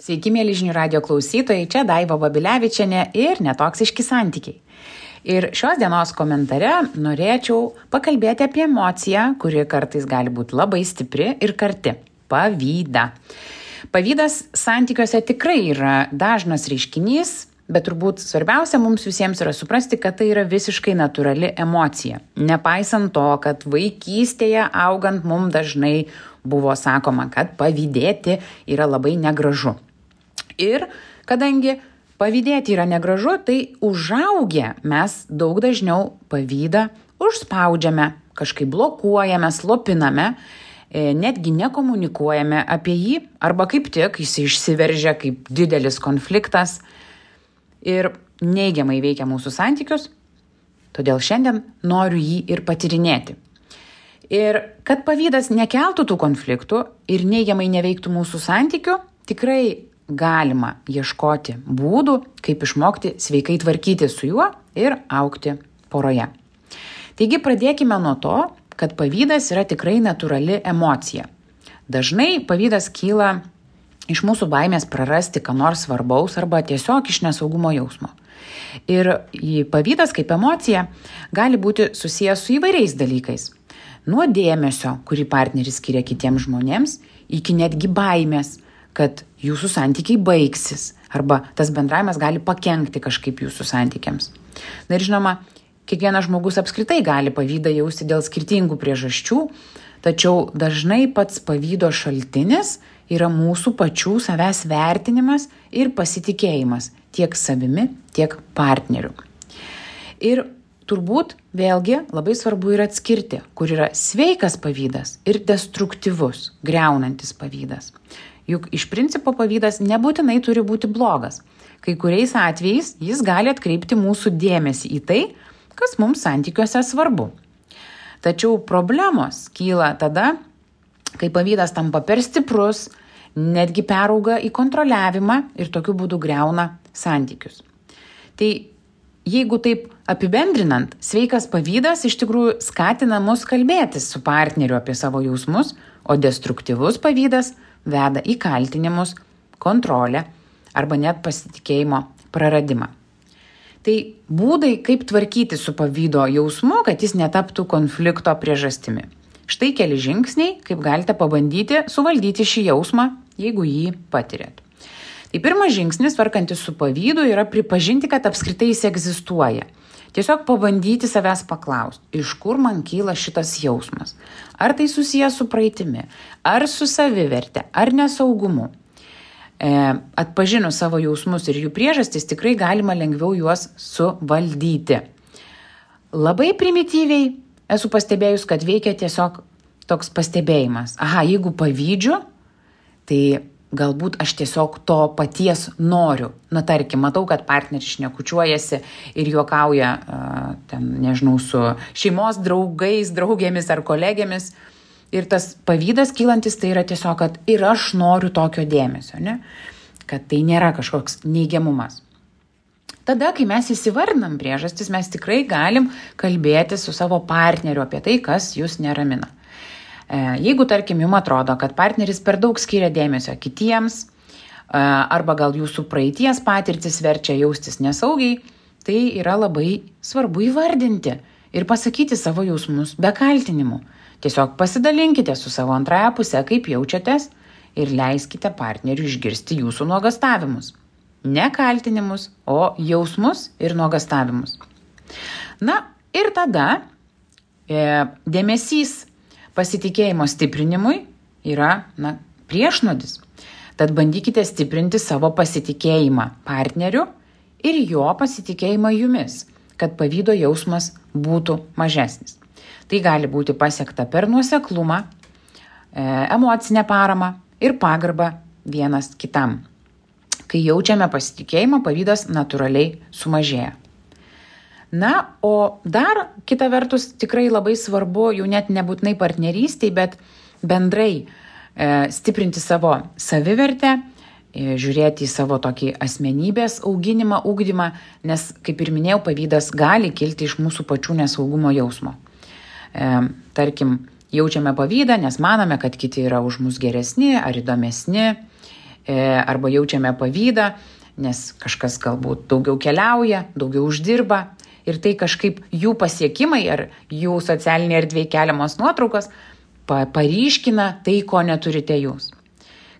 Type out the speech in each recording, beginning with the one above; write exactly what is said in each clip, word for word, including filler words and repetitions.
Sveiki, mėly žinių radio klausytojai, čia Daiva Babilevičienė ir netoksiški santykiai. Ir šios dienos komentare norėčiau pakalbėti apie emociją, kuri kartais gali būti labai stipri ir karti – pavydą. Pavydas santykiuose tikrai yra dažnas reiškinys, bet turbūt svarbiausia mums visiems yra suprasti, kad tai yra visiškai natūrali emocija. Nepaisant to, kad vaikystėje augant mums dažnai buvo sakoma, kad pavydėti yra labai negražu. Ir kadangi pavydėti yra negražu, tai užaugę mes daug dažniau pavydą užspaudžiame, kažkaip blokuojame, slopiname, netgi nekomunikuojame apie jį, arba kaip tik jis išsiveržia kaip didelis konfliktas ir neigiamai veikia mūsų santykius, todėl šiandien noriu jį ir patyrinėti. Ir kad pavydas nekeltų tų konfliktų ir neigiamai neveiktų mūsų santykių, tikrai galima ieškoti būdų, kaip išmokti sveikai tvarkyti su juo ir augti poroje. Taigi pradėkime nuo to, kad pavydas yra tikrai natūrali emocija. Dažnai pavydas kyla iš mūsų baimės prarasti ką nors svarbaus arba tiesiog iš nesaugumo jausmo. Ir pavydas kaip emocija gali būti susijęs su įvairiais dalykais. Nuo dėmesio, kurį partneris skiria kitiems žmonėms, iki netgi baimės, kad jūsų santykiai baigsis arba tas bendravimas gali pakenkti kažkaip jūsų santykiams. Na ir žinoma, kiekvienas žmogus apskritai gali pavydą jausti dėl skirtingų priežasčių, tačiau dažnai pats pavydo šaltinis yra mūsų pačių savęs vertinimas ir pasitikėjimas tiek savimi, tiek partneriu. Ir turbūt vėlgi labai svarbu yra atskirti, kur yra sveikas pavydas ir destruktyvus, griaunantis pavydas. Juk iš principo pavydas nebūtinai turi būti blogas. Kai kuriais atvejais jis gali atkreipti mūsų dėmesį į tai, kas mums santykiuose svarbu. Tačiau problemos kyla tada, kai pavydas tampa per stiprus, netgi perauga į kontroliavimą ir tokiu būdu griauna santykius. Tai jeigu taip apibendrinant, sveikas pavydas iš tikrųjų skatina mus kalbėtis su partneriu apie savo jausmus, o destruktyvus pavydas veda į kaltinimus, kontrolę arba net pasitikėjimo praradimą. Tai būdai, kaip tvarkyti su pavydo jausmu, kad jis netaptų konflikto priežastimi. Štai keli žingsniai, kaip galite pabandyti suvaldyti šį jausmą, jeigu jį patirėt. Tai pirmas žingsnis, tvarkantis su pavydu, yra pripažinti, kad apskritai jis egzistuoja. Tiesiog pabandyti savęs paklausti, iš kur man kyla šitas jausmas. Ar tai susijęs su praeitimi, ar su saviverte, ar nesaugumu. E, atpažinus savo jausmus ir jų priežastis, tikrai galima lengviau juos suvaldyti. Labai primityviai esu pastebėjus, kad veikia tiesiog toks pastebėjimas. Aha, jeigu pavydžiu, tai galbūt aš tiesiog to paties noriu. Na, tarkim, matau, kad partneris šnekučiuojasi ir juokauja, ten, nežinau, su šeimos draugais, draugėmis ar kolegėmis. Ir tas pavydas kylantis tai yra tiesiog, kad ir aš noriu tokio dėmesio, ne? Kad tai nėra kažkoks neigiamumas. Tada, kai mes įsivardinam priežastis, mes tikrai galim kalbėti su savo partneriu apie tai, kas jūs neramina. Jeigu, tarkim, jums atrodo, kad partneris per daug skiria dėmesio kitiems, arba gal jūsų praeities patirtis verčia jaustis nesaugiai, tai yra labai svarbu įvardinti ir pasakyti savo jausmus be kaltinimų. Tiesiog pasidalinkite su savo antrąja puse, kaip jaučiatės, ir leiskite partneriui išgirsti jūsų nuogastavimus. Ne kaltinimus, o jausmus ir nuogastavimus. Na ir tada e, dėmesys pasitikėjimo stiprinimui yra na, priešnodis. Tad bandykite stiprinti savo pasitikėjimą partneriu ir jo pasitikėjimą jumis, kad pavydo jausmas būtų mažesnis. Tai gali būti pasiekta per nuoseklumą, emocinę paramą ir pagarbą vienas kitam. Kai jaučiame pasitikėjimą, pavydas natūraliai sumažėja. Na, o dar kita vertus tikrai labai svarbu, jau net nebūtinai partnerystėj, bet bendrai e, stiprinti savo savivertę, e, žiūrėti į savo tokį asmenybės auginimą, ugdymą, nes, kaip ir minėjau, pavydas gali kilti iš mūsų pačių nesaugumo jausmo. E, tarkim, jaučiame pavydą, nes manome, kad kiti yra už mus geresni ar įdomesni arba jaučiame pavydą, nes kažkas galbūt daugiau keliauja, daugiau uždirba ir tai kažkaip jų pasiekimai ar jų socialinė erdvėje keliamos nuotraukos paryškina tai, ko neturite jūs.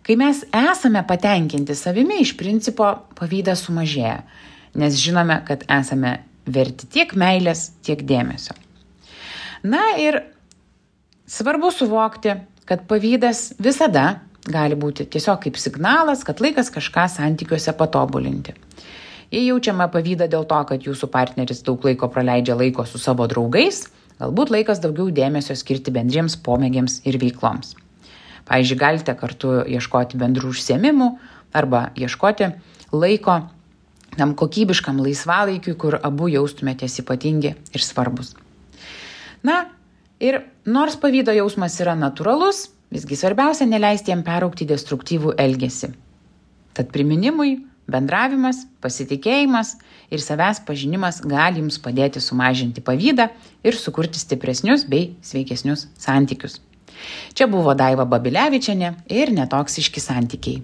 Kai mes esame patenkinti savimi, iš principo pavydas sumažėja, nes žinome, kad esame verti tiek meilės, tiek dėmesio. Na ir svarbu suvokti, kad pavydas visada gali būti tiesiog kaip signalas, kad laikas kažką santykiuose patobulinti. Jei jaučiame pavydą dėl to, kad jūsų partneris daug laiko praleidžia laiko su savo draugais, galbūt laikas daugiau dėmesio skirti bendriems pomėgiams ir veikloms. Pavyzdžiui, galite kartu ieškoti bendrų užsiėmimų arba ieškoti laiko tam kokybiškam laisvalaikiui, kur abu jaustumėtės ypatingi ir svarbus. Na ir nors pavydo jausmas yra natūralus, visgi svarbiausia neleisti jam peraugti destruktyvų elgesį. Tad priminimui, bendravimas, pasitikėjimas ir savęs pažinimas gali jums padėti sumažinti pavydą ir sukurti stipresnius bei sveikesnius santykius. Čia buvo Daiva Babilevičienė ir Netoksiški santykiai.